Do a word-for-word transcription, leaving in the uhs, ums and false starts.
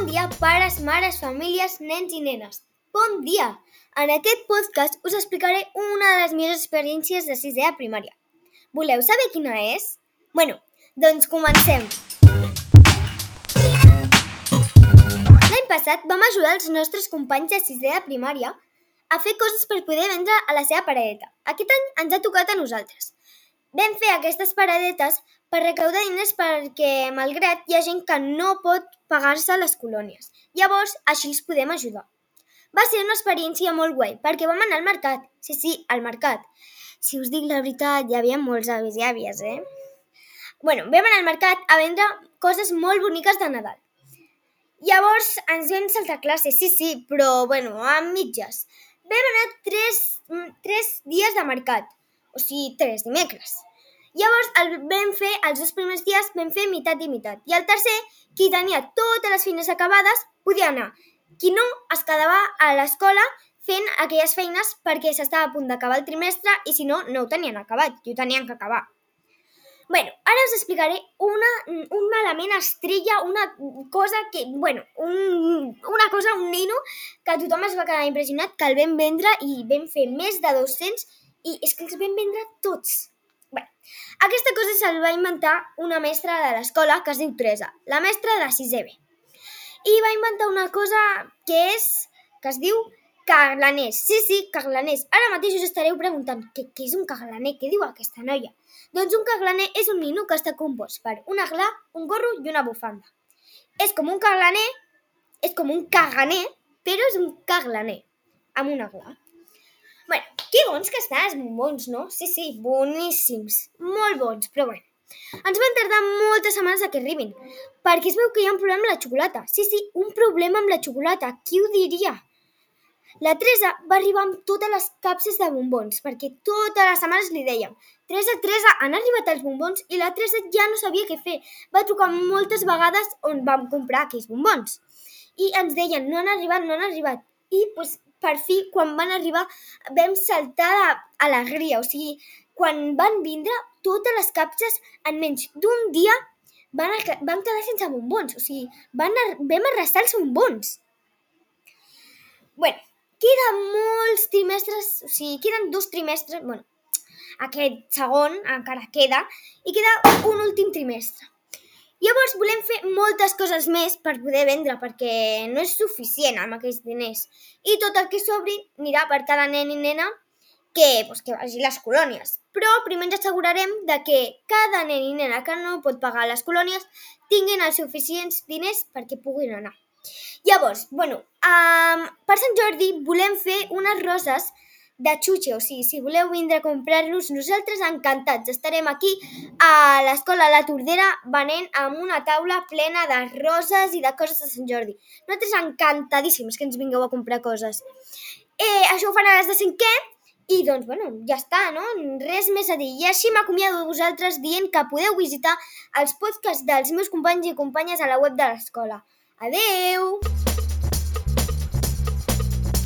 dia, pares, mares, famílies, nens i nenes. Bon dia! En aquest podcast us explicaré una de les meves experiències de sisè a primària. Voleu saber quina és? Bueno, doncs comencem! L'any passat vam ajudar els nostres companys de sisè a primària a fer coses per poder vendre a la seva paradeta. Aquest any ens ha tocat a nosaltres. Vam fer aquestes paradetes per recaudar diners perquè, malgrat, hi ha gent que no pot pagar-se les colònies. Llavors, així els podem ajudar. Va ser una experiència molt guai, perquè vam anar al mercat. Sí, sí, al mercat. Si us dic la veritat, hi havia molts avis i àvies, eh? Bueno, vam anar al mercat a vendre coses molt boniques de Nadal. Llavors, ens vam saltar classe, sí, sí, però, bueno, a mitges. Vam anar tres, tres dies de mercat, o sigui, tres dimecres. Llavors, el vam fer, els dos primers dies vam fer meitat i meitat. I el tercer, qui tenia totes les feines acabades, podia anar. Qui no, es quedava a l'escola fent aquelles feines perquè s'estava a punt d'acabar el trimestre i si no, no ho tenien acabat, i ho tenien que acabar. Bueno, ara us explicaré una, un element estrella, una cosa que, bueno, un, una cosa, un nino, que tothom es va quedar impressionat, que el vam vendre i vam fer més de dos-cents i és que els vam vendre tots. Bé, aquesta cosa se'l va inventar una mestra de l'escola que es diu Teresa, la mestra de sisè B. I va inventar una cosa que és, que es diu carlaners. Sí, sí, carlaners. Ara mateix us estareu preguntant què, què és un carlaner, què diu aquesta noia? Doncs un carlaner és un nino que està compost per un aglà, un gorro i una bufanda. És com un carlaner, és com un caganer, però és un carlaner, amb un aglà. Bueno, que bons que estan els bombons, no? Sí, sí, boníssims, molt bons, però bueno. Ens van tardar moltes setmanes a que arribin, perquè es veu que hi ha un problema amb la xocolata. Sí, sí, un problema amb la xocolata, qui ho diria? La Teresa va arribar amb totes les capses de bombons, perquè totes les setmanes li dèiem Teresa, Teresa, han arribat els bombons? I la Teresa ja no sabia què fer. Va trucar moltes vegades on vam comprar aquells bombons. I ens deien, no han arribat, no han arribat. I doncs, per fi, quan van arribar, vam saltar d'alegria. O sigui, quan van vindre, totes les capses en menys d'un dia van, van quedar sense bombons. O sigui, van, vam arrasar els bombons. Bueno, queden molts trimestres, o sigui, queden dos trimestres, bueno, aquest segon encara queda, i queda un últim trimestre. Llavors volem fer moltes coses més per poder vendre, perquè no és suficient amb aquells diners. I tot el que sobri anirà per cada nen i nena que, doncs, que vagi a les colònies. Però primer ens assegurarem de que cada nen i nena que no pot pagar les colònies tinguin els suficients diners perquè puguin anar. Llavors, bueno, um, per Sant Jordi volem fer unes roses de xutxe, o sigui, si voleu vindre a comprar-los, nosaltres encantats. Estarem aquí a l'escola La Tordera venent amb una taula plena de roses i de coses de Sant Jordi. Nosaltres encantadíssims que ens vingueu a comprar coses. Eh, això ho fan a les de cinquè i doncs, bueno, ja està, no? Res més a dir. I així m'acomiado de vosaltres dient que podeu visitar els podcasts dels meus companys i companyes a la web de l'escola. Adeu!